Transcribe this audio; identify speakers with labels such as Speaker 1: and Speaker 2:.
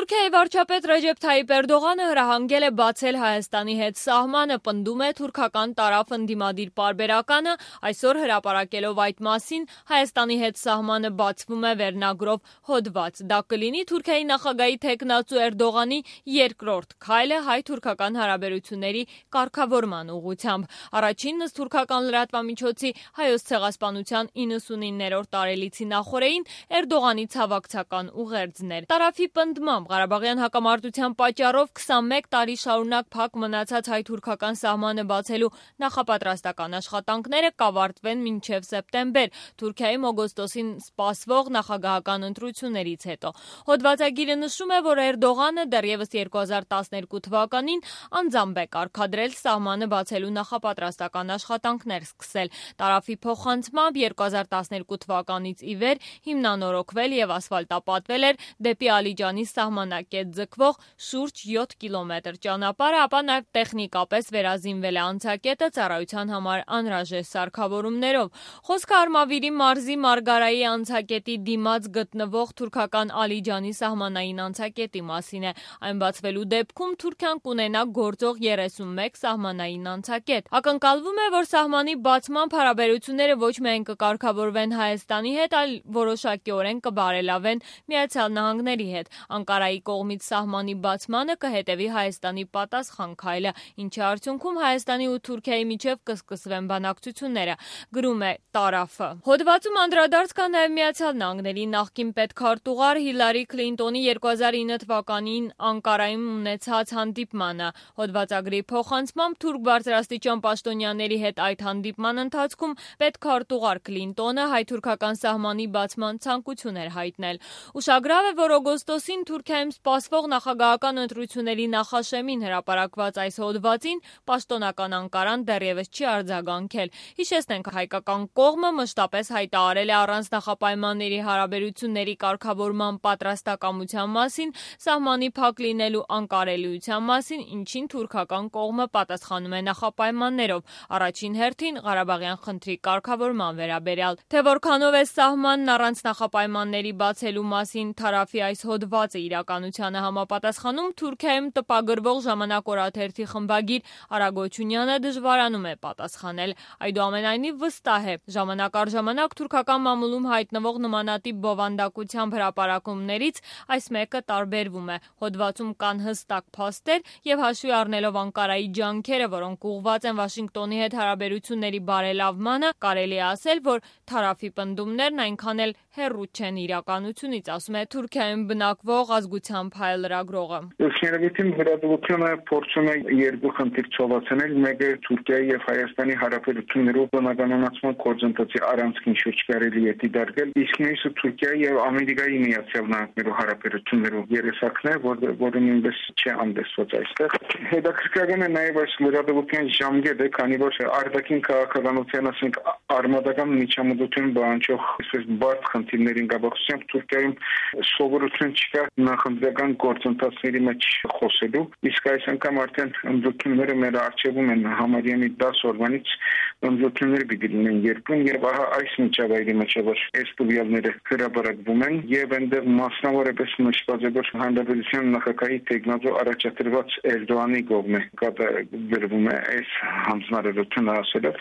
Speaker 1: Թուրքիայի վարչապետ Ռեջեփ Թայիփ Էրդողանը հրահանգել է բացել Հայաստանի հետ սահմանը, պնդում է թուրքական տարափ ընդդիմադիր պարբերականը, այսօր հրապարակելով այդ մասին Հայաստանի հետ սահմանը բացվում է վերնագրով հոդված։ Դա կլինի Թուրքիայի նախագահի թեկնածու Էրդողանի երկրորդ քայլը հայ-թուրքական հարաբերությունների կարգավորման ուղղությամբ։ Առաջինն ըստ թուրքական լրատվամիջոցի Հայոց ցեղասպանության 99-րդ տարելիցի նախօրեին Էրդողանի ցավակցական ուղերձն էր։ Տարափի պնդմամբ Ղարաբաղյան հակամարտության պատճառով 21 տարի շարունակ փակ մնացած հայ-թուրքական սահմանը բացելու նախապատրաստական աշխատանքները կավարտվեն մինչև սեպտեմբեր, Թուրքիայում օգոստոսին սպասվող նախագահական ընտրություններից հետո։ Հոդվածագիրը նշում է, որ Էրդողանը դեռևս 2012 թվականին անձամբ է կարգադրել սահմանը բացելու նախապատրաստական աշխատանքներ սկսել։ Տարափի փոխանցմամբ 2012 թվականից ի վեր հիմնանորոգվել եւ ասֆալտապատվել էր դեպի Ալիջանի սահմանակետ ձգվող շուրջ 7 կիլոմետր ճանապարհը, ապա նաև տեխնիկապես վերազինվել է անցակետը ծառայության համար անհրաժեշտ սարքավորումներով։ Խոսքը Արմավիրի մարզի Մարգարայի անցակետի դիմաց գտնվող թուրքական Ալիջանի սահմանային անցակետի մասին է։ Այն բացվելու դեպքում Թուրքիան կունենա գործող 31 սահմանային անցակետ։ Ակնկալվում է, որ սահմանի բացմամբ հարաբերությունները ոչ միայն կկարգավորվեն Հայաստանի հետ, այլ որոշակիորեն կբարելավեն Միացյալ Նահանգների հետ։ Անկարայի կողմից սահմանի բացմանը կհետևի Հայաստանի պատասխան քայլը, ինչի արդյունքում Հայաստանի ու Թուրքիայի միջև կսկսվեն բանակցությունները, գրում է Տարափը։ Հոդվածում անդրադարձ կա նաև Միացյալ Նահանգների նախկին պետքարտուղար Հիլարի Քլինտոնի 2009 թվականին Անկարայում ունեցած հանդիպմանը։ Հոդվածագրի փոխանցմամբ թուրք բարձրաստիճան պաշտոնյաների հետ այդ հանդիպման ընթացքում պետքարտուղար Քլինտոնը հայ-թուրքական սահմանի բացման ցանկություն էր հայտնել։ Ուշագրավ է, որ օգոստոսին Թուրքիայում սպասվող նախագահական ընտրությունների նախաշեմին հրապարակված այս հոդվածին պաշտոնական Անկարան դեռևս չի արձագանքել։ Հիշեցնենք, հայկական կողմը մշտապես հայտարարել է առանց նախապայմանների հարաբերությունների կարգավորման պատրաստակամության մասին, սահմանի փակ լինելու անկարելիության մասին, ինչին թուրքական կողմը պատասխանում է նախապայմաններով, առաջին հերթին Ղարաբաղյան խնդրի կարգավորման վերաբերյալ։ Թե որքանով է սահմանն առանց նախապայմանների բացելու մասին Տարափի այս հոդվածը իրականությանը համապատասխանում, Թուրքիայում տպագրվող Ժամանակ օրաթերթի խմբագիր Արա Գոչունյանը դժվարանում է պատասխանել։ Այդուամենայնիվ վստահ է, ժամանակ առ ժամանակ թուրքական մամուլում հայտնվող նմանատիպ բովանդակությամբ հրապարակումներից այս մեկը տարբերվում է։ Հոդվածում կան հստակ փաստեր եւ հաշվի առնելով Անկարայի ջանքերը, որոնք ուղղված են Վաշինգտոնի հետ հարաբերությունների բարելավմանը, կարելի է ասել, որ Տարափի պնդումներն այնքան էլ հեռու չեն իրականությունից, ասում է Թուրքիայում բնակվող ազգությամբ հայ լրագրողը։
Speaker 2: Ուսումնարվեստի վերաբերությունը փորձում է երկու խնդիր ցողացնել, մեկը Թուրքիայի եւ Հայաստանի հարաբերություններով բնականոնացման գործընթացի առանցքին շուրջ կարելի է դիտարկել, իսկ մյուսը Թուրքիայի եւ Ամերիկայի Միացյալ Նահանգների հարաբերություններով երեսակն է, որը նույնպես չի ամդեսված այստեղ։ Հետաքրքրական է նաեւ այս լրատվության ժամկետը, քանի որ արտաքին քաղաքականության, ասենք, արմատական միջամտություն բանջող այսպես բարդ խնդիրներին կապակցությամբ Թուրքիայում սովորություն չկա նախընտրական գործընթացների մեջ խոսելու, իսկ այս անգամ արդեն ընդդիմությունները մեր արժևում են համարյա մի 10 օրվանից ընդդիմությունները պիտի լինեն երկրում եւ ահա այս միջավայրի մեջ որ այս տվյալները հրապարակվում են եւ այնտեղ մասնավորապես նշված է որ հանրապետության նախագահի տեխնազո առաջադրված Էրդողանի կողմը կատարվում է այս հանձնարարությունը ասելով